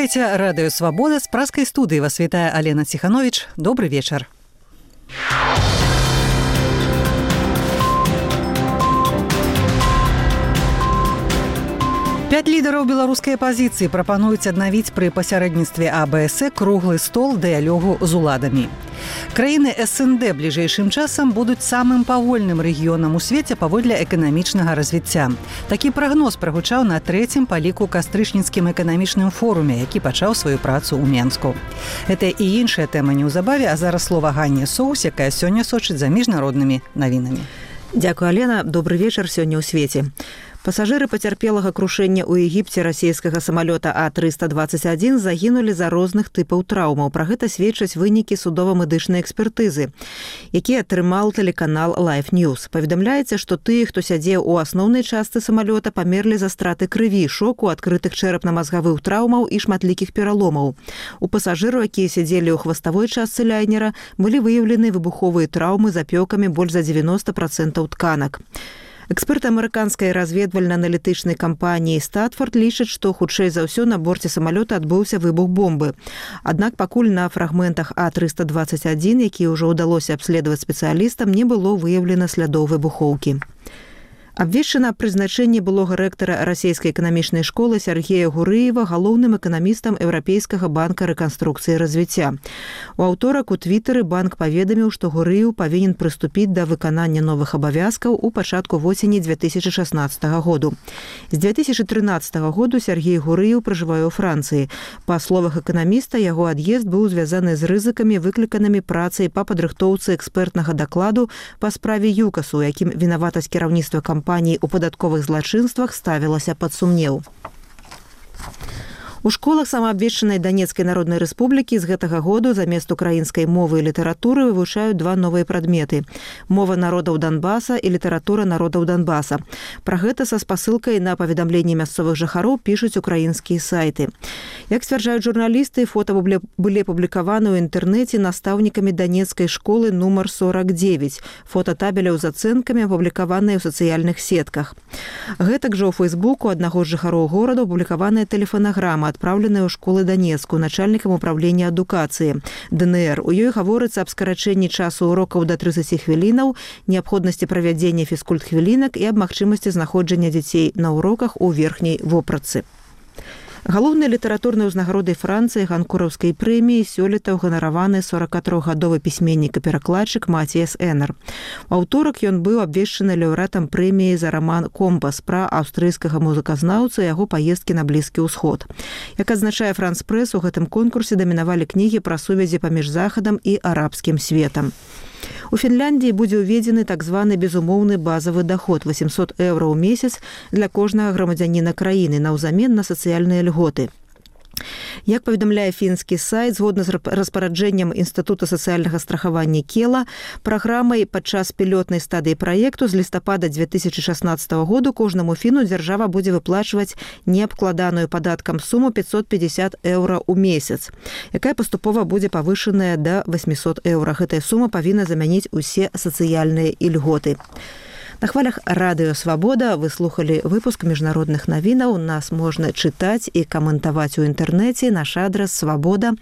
Слухайте радыё «Свабода», з праскай студыі вас вітае Алена Ціхановіч. Добры вечар. Пяць лідараў беларускай апазіцыі прапануюць аднавіць пры пасярэдніцтве АБС круглы стол дыялогу з уладамі. Краіны СНД бліжэйшым часам будуць самым павольным рэгіёнам у свеце паводле эканамічнага развіцця. Такі прагноз прагучаў на трэцім па ліку кастрычніцкім эканамічным форуме, які пачаў сваю працу ў Менску. Гэта і іншая тэма неўзабаве, а зараз слова Ганне Соус, якая сёння сочыць за міжнароднымі навінамі. Дзякуй, Алена. Добры вечар сёння ў свеце. Пасажыры пацярпелага крушэння ў Егіпце расійскага самалёта А-321 загінулі за розных тыпаў траўмаў. Пра гэта сведчаць вынікі судова-медычнай экспертызы, які атрымаў тэлеканал Life News. Паведамляецца, што тыя, хто сядзеў у асноўнай частцы самалёта, памерлі за страты крыві, шоку, адкрытых чэрапна-мазгавых траўмаў і шматлікіх пераломаў. У пасажыраў, якія сядзелі ў хваставой частцы лайнера, былі выяўлены выбуховыя траўмы з апёкамі больш за 90% тканак. Эксперты амерыканскай разведвальна-аналітычнай кампаніі «Статфорд» лічаць, што хутчэй за ўсё на борце самалёта адбыўся выбух бомбы. Аднак пакуль на фрагментах А-321, якія ўжо ўдалося абследаваць спецыялістам, не было выяўлена слядоў выбухоўкі. Абвешчана прызначэнне былога рэктара расійскай эканамічнай школы Сергея Гурыева галоўным эканамістам Еўрапейскага банка рэканструкцыі і развіцця. У аўторак у твітары банк паведаміў, што Гурыев павінен прыступіць да выканання новых абавязкаў у пачатку восені 2016 году. З 2013 году Сергей Гурыев пражывае ў Францыі. Па словах эканаміста, яго ад'езд быў звязаны з рызыкамі, выкліканымі працай па падрыхтоўцы экспертнага дакладу па справе ЮКАСу, якім вінаватасць кіраўніцтва кампаніі ў падатковых злачынствах ставілася пад сумнеў. У школах самаабвешчанай Данецкай Народнай Рэспублікі з гэтага году замест украінскай мовы і літаратуры вывучаюць два новыя прадметы – мова народаў Донбаса і літаратура народаў Донбаса. Пра гэта са спасылкай на паведамленні мясцовых жыхароў пішуць украінскія сайты. Як сцвярджаюць журналісты, фота былі апублікаваны ў інтэрнэце настаўнікамі Данецкай школы нумар 49. Фота табеляў з ацэнкамі апублікаваныя ў сацыяльных сетках. Гэтак жа ў Фейсбуку аднаго з жыхароў горада апублікаваная тэлефанаграма, адпраўленая ў школы Данецку начальнікам управлення адукацыі ДНР. У ёй гаворыцца аб скарачэнні часу урокаў да 30 хвілінаў, неабходнасці правядзення фізкульт-хвілінак і аб магчымасці знаходжання дзяцей на уроках у верхняй вопратцы. Галоўнай літаратурнай узнагародай Францыі ганкураўскай прэміі сёлета ўганараваны 43-гадовы пісьменнік і перакладчык Маціяс Энер. У аўторак ён быў абвешчаны лаўрэатам прэміі за раман «Компас» пра аўстрыйскага музыказнаўца і яго паездкі на Блізкі ўсход. Як адзначае Франс Прэс, у гэтым конкурсе дамінавалі кнігі пра сувязі паміж захадам і арабскім светам. У Фінляндіі будзе ўведзены так званы безумоўны базавы даход 800 еўра ў месяц для кожнага грамадзяніна краіны наўзамен на сацыяльныя льготы. Як паведамляе фінскі сайт, згодна з распараджэннем Інстытута сацыяльнага страхавання Кела, праграмай падчас пілотнай стадыі праекту з лістапада 2016 году кожнаму фіну дзяржава будзе выплачваць неабкладаную падаткам суму 550 еўра ў месяц, якая паступова будзе павышаная да 800 еўра. Гэтая сума павінна замяніць усе сацыяльныя ільготы. На хвалях радыё «Свабода» вы слухалі выпуск міжнародных навінаў. Нас можна чытаць і каментаваць у інтэрнэце. Наш адрас свабода.орг.